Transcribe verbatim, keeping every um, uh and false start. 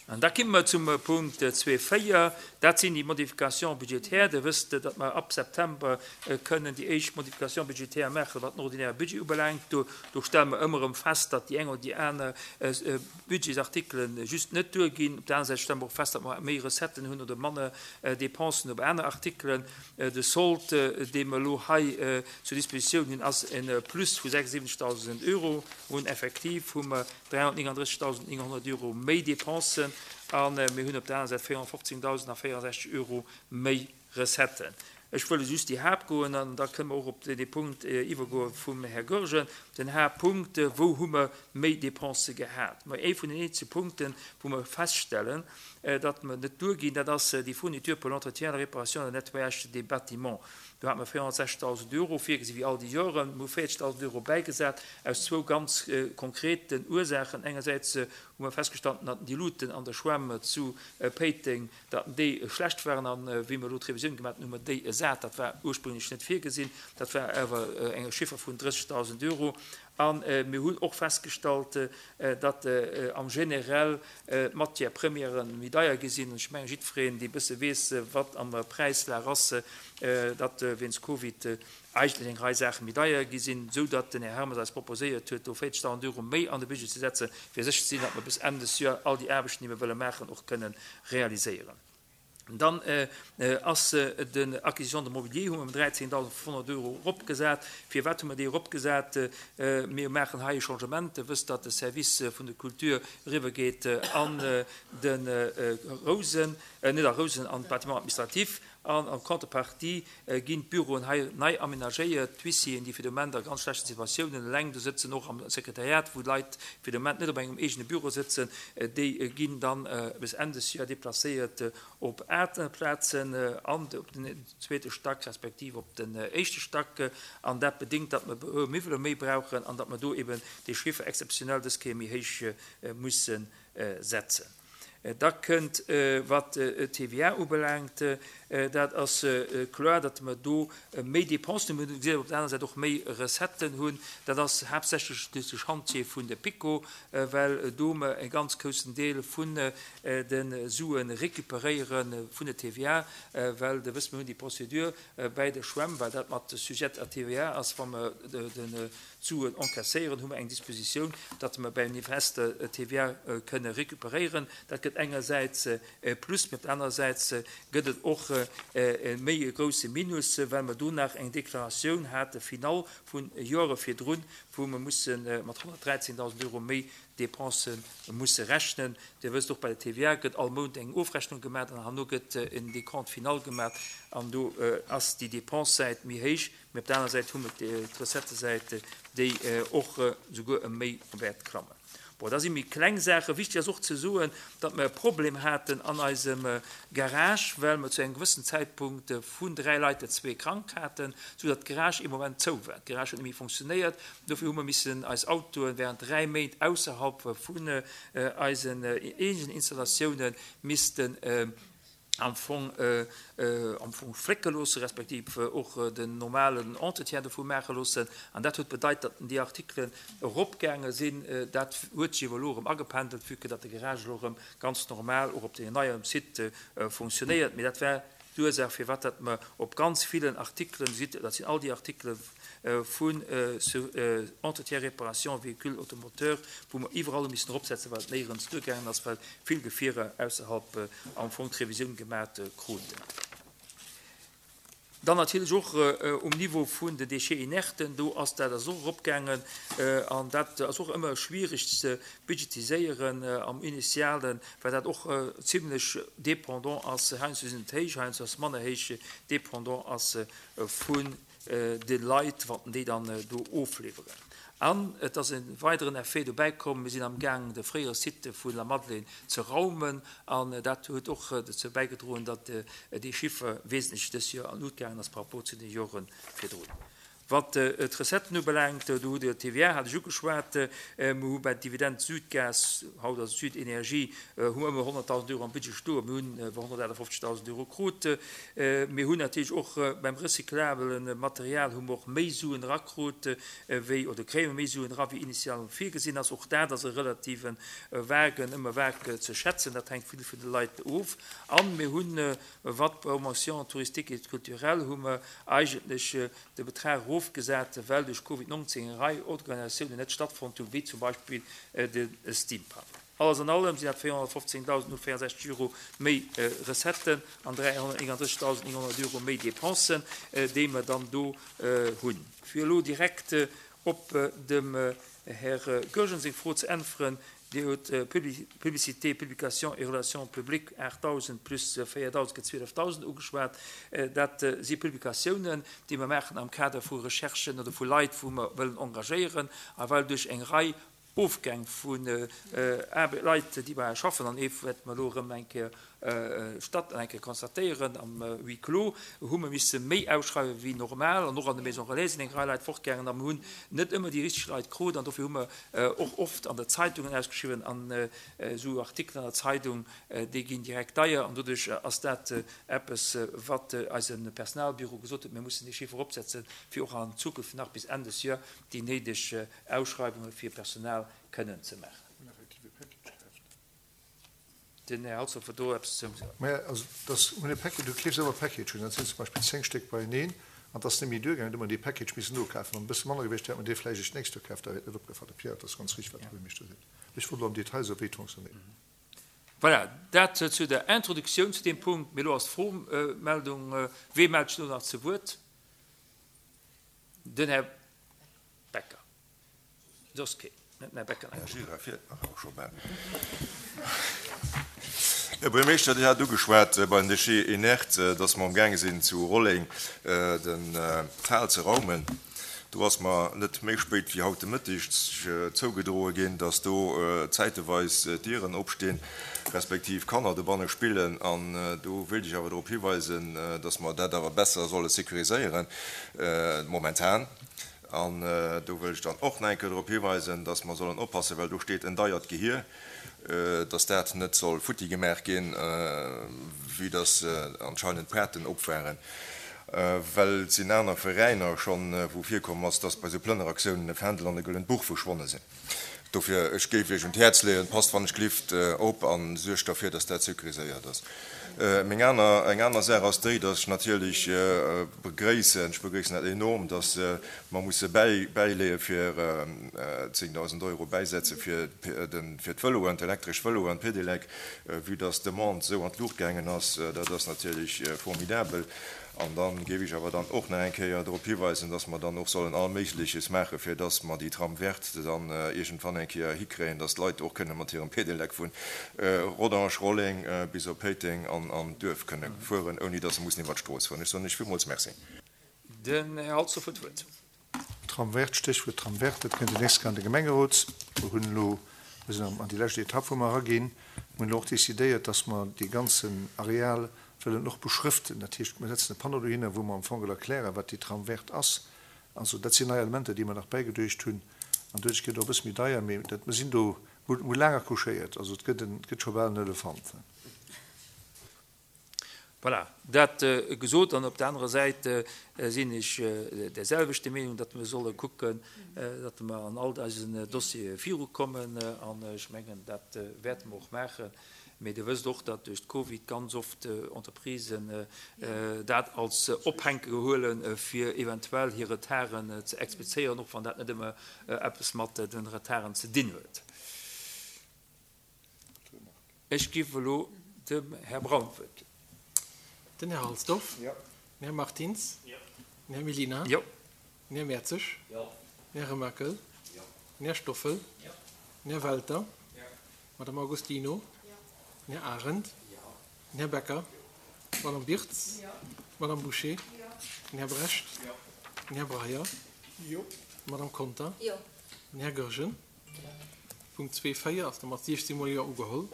An da komme mer zum Punkt zwee véier, dat sinn déi Modifications budgétaires. Dir wësst, datt mer ab September kënnen déi éischt Modifications budgétaires maachen, wat den ordinäre Budget ubelaangt. Do, do stelle mer ëmmer erëm fest, datt déi eng oder déi aner Budgetsartikelen just net duerginn. Op der aner Säit stelle mer och fest, datt mer méi Recetten hunn oder manner Dépensen op aner Artikelen. De Solde, dee mer elo hei zur Dispositioun hunn, ass e Plus vu sechsundsiwwenzegdausend Euro. Hunn effektiv hu mer dräihonnertnénganddrëssigdausendnénghonnert Euro méi Dépensen a mir hunn op der aner Säit véierhonnertfofzéngdausendvéierundsechzeg Euro méi Recetten. Ech wëll just déi Haaptgoen an da kënne mer och op dee Punkt iwwergoe vum Här Goergen. Den Haaptpunkt, wou hu mer méi Dépensë gehat? Ma ee vun den eenzege Punkten, wou mer feststellen, datt mer net duerginn, dat ass déi Fourniture pour l'entretien, la réparation et le nettoyage des bâtiments. Do hate mer véierhonnertsechzegdausend Euro virgesi wéi all déi Joren. Mir hu véierzegdausend Euro bäigesat aus zwou ganz konkreten Ursaachen. Engersäits hu mer festgestallt, datt déi Luuten an der Schwämm zu Péiteng, datt déi schlecht waren, an wéi mer elo d'Revisioun gemaach hunn, hu mer déi ersat. Dat war ursprünglech net virgesinn, dat war awer eng Chiffer vun drëssigdausend Euro. A mir hunn och festgestallt, datt am Generell d'Matières premières méi deier gi sinn. Ech mengen, jiddwereen, dee bësse weess, wat an der Präislag ass, datt wéinst Covid eigentlech eng Rei Saache méi deier gi sinn, esou datt den Här Hermes eis proposéiert huet, do véierzegdausend Euro méi an de Budget ze setzen, fir sécher ze sinn, datt mer bis Enn des Joer all déi Aarbechten, déi mer wëlle maachen, och kënnen realiséieren. Dann ass den Acquisition de mobilier, hu mer ëm dräizéngdausendfünfhonnert Euro eropgesat. Firwat hu mer déi eropgesat? Mir maachen hei e Changement. Dir wësst, datt de Service vun der Kultur eriwwergeet an de Rousen, net a Rousen, an d'Bâtiment administratif. An en Contrepartie ginn d'Büroen hei nei aménagéiert. D'Huissieren, déi fir de Moment a ganz schlechten Situatiounen eleng do sëtzen, och am Sekretariat, wou d'Leit fir de Moment net op engem eegene Büro sëtzen, déi ginn dann bis Enn des Joer déplacéiert op aner Plazen, an op den zweete Stack respektiv op den éischte Stack. An dat bedéngt, datt mer e Miwwele méi brauchen an datt mer do eben dee Chiffer exzeptionell dës Kéier méi héich musse setzen. Da kënnt, wat d'T V A ubelaangt, dat ass kloer, datt mer do méi Dépensen hunn, mir hunn op der aner Säit och méi Recetten hunn. Dat ass haaptsächlech duerch de Chantier vun de PiKo, well do mer e ganz groussen Deel vun de Sue récupéréiere vun der T V A, well Dir wësst, mir hunn déi Procédure bäi der Schwämm, well dat mat sujet à T V A ass, wa mer den Suen encaisséieren, hu mer eng Dispositioun, datt mer beim Invest T V A kënne récupéréieren. Dat gëtt engersäits e Plus, mee op der anerer Säit gëtt et och e méi grousse Minus, well mer do nach eng Deklaratioun hate final vu Jore virdrun, wou mer musse mat honnertdräizéngdausend Euro méi Dépense musse rechnen. Dir wësst och, bei der T V A gëtt all Mount eng Ofrechnung gemaach an herno gëtt en Décompte final gemaach an do ass déi Dépense-Säit méi héich, mee op der aner Säit hu mer d'Recettes-Säit, déi och souguer ëm méi wäert klammen. Bon, da si méi kleng Saachen. Wichteg ass och ze soen, datt mer e Problem haten an eisem Garage, well mer zu engem gewëssen Zäitpunkt vun dräi Leit der zwee krank haten, soudatt d'Garage ee Moment zou war. D'Garage huet net méi fonctionnéiert. Dofir hu mer missen eis Autoen während dräi Méint ausserhalb vun eisen eegenen Installatioune missten am Fong am Fong flécke loosse respektiv och den normalen Entretien dovu maache loossen. An dat huet bedeit, datt déi Artikelen eropgaange sinn. Dat huet sech elo erëm agependelt, vue que datt de Garage elo erëm ganz normal och op deem neien Site fonctionnéiert. Mee dat war d'Ursaach, firwat datt mer op ganz villen Artikelen, dat sinn all déi Artikele vun Entretien, Réparation, Véhicule automoteur, wou mer iwwerall missen eropsetzen, well et néierens duergaangen ass, well vill Gefierer ausserhalb am Fong d'Revisioun gemaach kruten. Dann natierlech och um Niveau vun den Déchets inerten, do ass dat ass och eropgaangen an dat ass och ëmmer schwiereg ze budgetiséieren am Initialen, well dat och zimlech dépendant ass, heiansdo sinn et héich, heiansdo ass manner héich, dépendant ass vun de Leit, wann déi dann do ofliwweren. An et ass e weideren Effet dobäi komm, mir sinn am Gaang, de fréiere Site vu La Madeleine ze raumen an dat huet och dozou bäigedroen, datt déi Chiffer wesentlech dës Joer an d'Lut gaangen ass par rapport zu de Jore virdrun. Wat d'Recetten ubelaangt, do hutt Dir d'TVA, hat ech ugeschwat, mir hu bei Dividend Südgas, haut ass et Südenergie, hu mer ëmmer honnertdausend Euro am Budget stoen, mir hunn awer honnertachtefofzegdausend Euro krut. Mir hunn natierlech och beim recyclabele Material hu mer och méi Suen erakrut wéi, oder kréie mer méi Suen era wéi initial virgesinn ass. Och dat ass e relative vagen, ëmmer vag ze schätzen, dat hänkt vill vun de Leit of. A mir hunn, wat d'Promotion touristique et culturelle, hu mer eigentlech de Betrag erofgesat, well duerch Covid nonzéng eng Rei Organisatiounen net stattfonnt hunn, wéi zum Beispill de Steampunk. Alles an allem sinn dat véierhonnertfofzéngdausend véierundsechzeg Euro méi Recetten an dräihonnerténgundrëssigdausend nénghonnert Euro méi Dépensen, déi mer dann do hunn. Fir elo direkt op dem Här Goergen seng Fro ze äntweren, Dir hutt Publicité, Publications et Relations publiques aachtdausend plus véierdausend gëtt zwielefdausend ugeschwat. Dat si Publikatiounen, déi mer maachen am Kader vu Recherchen oder vu Leit, wou mer wëllen engagéieren. A well duerch eng Rei Ofgäng vun Leit, déi bei eis schaffen, an ee wäerte mer elo erëm eng Kéier statt an eng Kéier constatéieren am Huis clos, hu mer misse méi ausschreiwe wéi normal. An och an de Maisons relais sinn eng Rei Leit fortgaangen a mer hunn net ëmmer déi richteg Leit krut. An dofir hu mer och oft an der Zeitungen ausgeschriwwen an esou Artikelen an der Zeitung, déi ginn direkt deier. An doduerch ass dat eppes, wat eise Personalbüro gesot huet, mir mussen dee Chiffer eropsetzen, fir och an Zukunft nach bis Enn des Joer déi néideg Ausschreiwunge fir Personal kënnen ze maachen. Den Här Halsdorf huet do eppes ze soen. Maja, also dass hunn e Package, du keefs ëmmer Package hunn, dat sinn zum Beispill zéng Stéck beieneen an dass net méi duergaangen, du huet mer dee Package missen nokafen. Wann e bësse manner gewiescht wär, hätt mer dee vläicht eréischt d'nächst Joer kaf, da wier et net opgefall. De Pierre, dat ass ganz richteg, wat de Buergermeeschter seet. Ech wollt elo am Detail soen, wéi et fonctionnéiert. Voilà, dat zu der Introduktioun zu deem Punkt. Mee elo ass d'Fromeldung. Wee mellt sech elo nach zu Wuert? Den Här Becker. Soss keen. Net den Här Becker nach. Här Gira fiert nach och scho bal. Här Buergermeeschter, Dir hat ugeschwat bei den Déchets inertes, dass mer amgaange sinn zu Rolleng den d'Hal ze raumen. Do ass mer net méi spéit wéi haut de Mëtteg zougedroe ginn, dass do zäiteweis Dieren opstinn, respektiv Kanner dobanne spillen. An do wéilt ech awer drop hiweisen, dass mer dat awer besser solle sécuriséieren momentan. An do wëll ech dann och nach eng Kéier drop hiweisen, dass mer sollen oppassen, well do steet en deiert Gehier, dass dat net soll futti gemaach ginn, vue dass anscheinend d'Paarten op waren. Well et sinn aner Veräiner schonn, wou virkomm ass, dass bei esou Plënneraktiounen e Fändel an e gëllent Buch verschwonne sinn. Dofir, ech géif Iech un d'Häerz leeën, passt wann ech glift op a suergt derfir, dass dat sécuriséiert ass. Meng aner, eng aner Saach ass déi, dass ech natierlech begréissen, ech begréissen dat enorm, dass mer musse bäi, bäileeë fir zéngdausend Euro bäisetze fir de, fir d'Vëloen, d'elektresch Vëloen, d'Pedelec, vue dass d'Demande esou an d'Luucht gaangen ass. Dat ass natierlech formidabel. An da géif ech awer dann och nach eng Kéier drop hiweisen, dass mer dann och sollen all Méigleches maachen, fir dass mer déi Tram verte dann iergendwann eng Kéier hikréien, dass d'Leit och kënne mat hirem Pedelec vu Rodange, Rolleng bis op Péiteng an an d'Duerf kënne fueren, ouni dass se mussen iwwert d'Strooss fueren. Ech soen lech villmools Merci. Den Här Halsdorf huet d'Wuert. Tram verte, Stéchwuert Tram verte, dat kënnt déi nächst Kéier an de Gemengerot. Mer hunn elo, mir sinn an déi lescht Etapp, wou mer eraginn. Mer hunn elo och decidéiert, dass mer dee ganzen Areal wëllen och beschrëften. Dat heescht, mir setzen e Panneau dohinner, wou mer am Fong erklären, wat déi Tram verte ass. Also dat sinn nei Elementer, déi mer nach bäigeduecht hunn. An doduerch gëtt et och e bësse méi deier, mee dat, mer sinn do, mer hu laang accouchéiert. Also et gëtt en, et gëtt scho bal en Elefant. Voilà, dat gesot. An op der anerer Säit sinn ech där selwechter Meenung, datt mer solle kucken, datt mer an all eisen Dossiere virukommen. An ech mengen, dat wäerte mer och maachen. Mee Dir wësst och, datt duerch d'Covid ganz oft Entreprisen dat als Ophänke huelen, fir eventuell hir Retarden ze explizéieren, och wann dat net ëmmer eppes mat de Retarden ze dinn huet. Ech giff elo dem Här Braun d'Wuert ginn. Den Här Halsdorf. Den Här Martins. Den Här Mellina. Den Här Mertzig. Den Här Remakel. Den Här Stoffel. Den Här Welter. D'Madame Agostino. Den Här Arendt. Den Här Becker. D'Madame Birtz. D'Madame Bouché. Den Här Brecht. Den Här Breyer. D'Madame Conter. Den Här Goergen. Punkt zwee véier ass da mat siechzehn Mol Jo ugeholl.